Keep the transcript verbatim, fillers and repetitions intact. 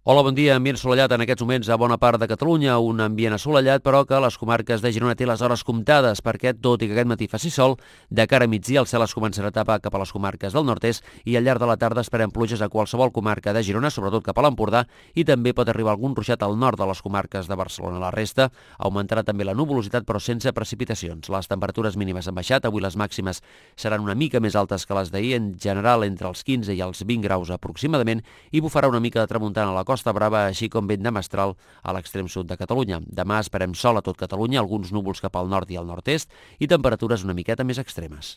Hola, bon dia. Ambient assolellat en aquests moments a bona part de Catalunya, un ambient assolellat, però que les comarques de Girona té les hores comptades, perquè, tot i que aquest matí faci sol, de cara a migdia el cel es començarà a tapar cap a les comarques del nord-est i al llarg de la tarda esperem pluges a qualsevol comarca de Girona, sobretot cap a l'Empordà, i també pot arribar algun ruixat al nord de les comarques de Barcelona. La resta augmentarà també la nuvolositat, però sense precipitacions. Les temperatures mínimes han baixat, avui les màximes seran una mica més altes que les d'ahir, en general entre els quinze i els vint graus aproximadament, i bufarà una mica de tramuntana a la Costa Brava, així com vent de mestral a l'extrem sud de Catalunya. Demà esperem sol a tot Catalunya, alguns núvols cap al nord i al nord-est i temperatures una miqueta més extremes.